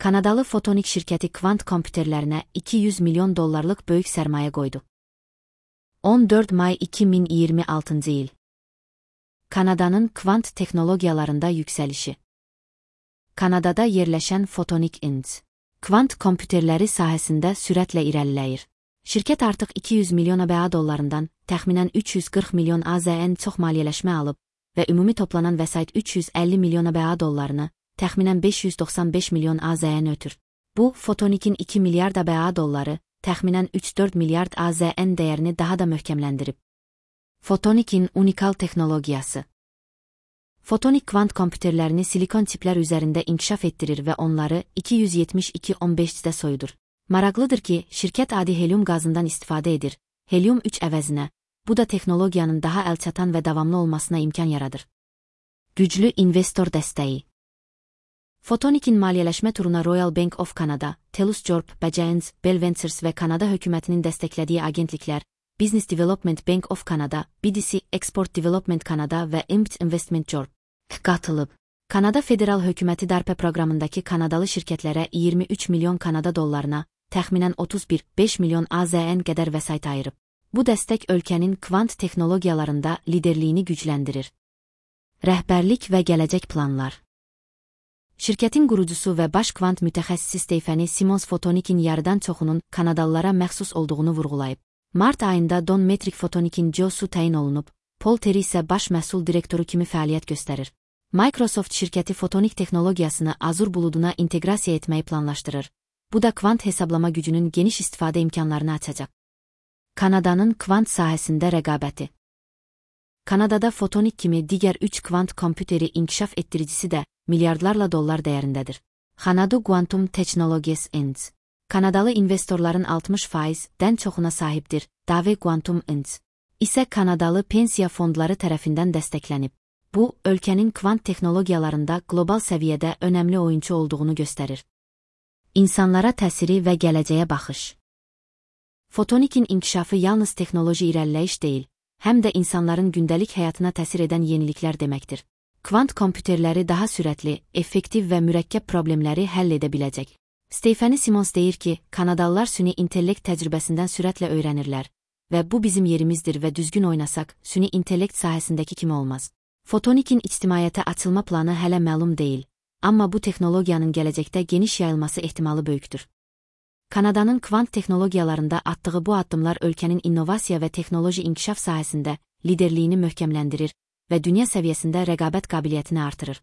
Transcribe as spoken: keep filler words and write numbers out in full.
Kanadalı Fotonik şirkəti kvant kompüterlərinə iki yüz milyon dollarlıq böyük sərmayə qoydu. on dörd may iki min iyirmi altıncı il. Kanadanın kvant texnologiyalarında yüksəlişi. Kanadada yerləşən Fotonik Inc. kvant kompüterləri sahəsində sürətlə irəliləyir. Şirkət artıq iki yüz milyon ABA dollarından təxminən üç yüz qırx milyon AZN çox maliyyələşmə alıb və ümumi toplanan vəsait üç yüz əlli milyon ABA dollarını, təxminən beş yüz doxsan beş milyon AZN ötür. Bu, Fotonik'in iki milyard ABA dolları, təxminən üç dörd milyard AZN dəyərini daha da möhkəmləndirib. Fotonik'in unikal texnologiyası. Fotonik kvant kompüterlərini silikon tiplər üzərində inkişaf etdirir və onları iki yüz yetmiş iki on beşdə soyudur. Maraqlıdır ki, şirkət adi helyum qazından istifadə edir, helyum üç əvəzinə, bu da texnologiyanın daha əlçatan və davamlı olmasına imkan yaradır. Güclü investor dəstəyi. Fotonik'in maliyyələşmə turuna Royal Bank of Canada, Telus Corp, Giants, Bell Ventures və Kanada hökumətinin dəstəklədiyi agentliklər, Business Development Bank of Canada, B D C, Export Development Canada və Impact Investment Corp qatılıb. Kanada Federal Hökuməti DARPA proqramındakı Kanadalı şirkətlərə iyirmi üç milyon Kanada dollarına, təxminən otuz bir nöqtə beş milyon AZN qədər vəsait ayırıb. Bu dəstək ölkənin kvant texnologiyalarında liderliyini gücləndirir. Rəhbərlik və gələcək planlar. Şirkətin qurucusu və baş kvant mütəxəssisi Stephanie Simons Fotonik'in yarıdan çoxunun Kanadalılara məxsus olduğunu vurğulayıb. Mart ayında Don Metric Fotonik'in C E O-su təyin olunub, Paul Terry isə baş məhsul direktoru kimi fəaliyyət göstərir. Microsoft şirkəti Fotonik texnologiyasını Azure buluduna inteqrasiya etməyi planlaşdırır. Bu da kvant hesablama gücünün geniş istifadə imkanlarını açacaq. Kanadanın kvant sahəsində rəqabəti. Kanadada Fotonik kimi digər üç kvant kompüteri inkişaf etdiricisi də milyardlarla dollar dəyərindədir. Xanadu Quantum Technologies Inc. Kanadalı investorların altmış faizdən çoxuna sahibdir. Dave Quantum Inc. isə Kanadalı pensiya fondları tərəfindən dəstəklənib. Bu, ölkənin kvant texnologiyalarında qlobal səviyyədə önəmli oyunçu olduğunu göstərir. İnsanlara təsiri və gələcəyə baxış. Fotonik'in inkişafı yalnız texnoloji irəliləyiş deyil, həm də insanların gündəlik həyatına təsir edən yeniliklər deməkdir. Kvant kompüterləri daha sürətli, effektiv və mürəkkəb problemləri həll edə biləcək. Stephanie Simons deyir ki, Kanadalılar süni intellekt təcrübəsindən sürətlə öyrənirlər və bu bizim yerimizdir və düzgün oynasaq, süni intellekt sahəsindəki kimi olmaz. Fotonik'in ictimaiyyətə açılma planı hələ məlum deyil, amma bu texnologiyanın gələcəkdə geniş yayılması ehtimalı böyükdür. Kanadanın kvant texnologiyalarında atdığı bu addımlar ölkənin innovasiya və texnoloji inkişaf sahəsində liderliyini möhkəmləndirir və dünya səviyyəsində rəqabət qabiliyyətini artırır.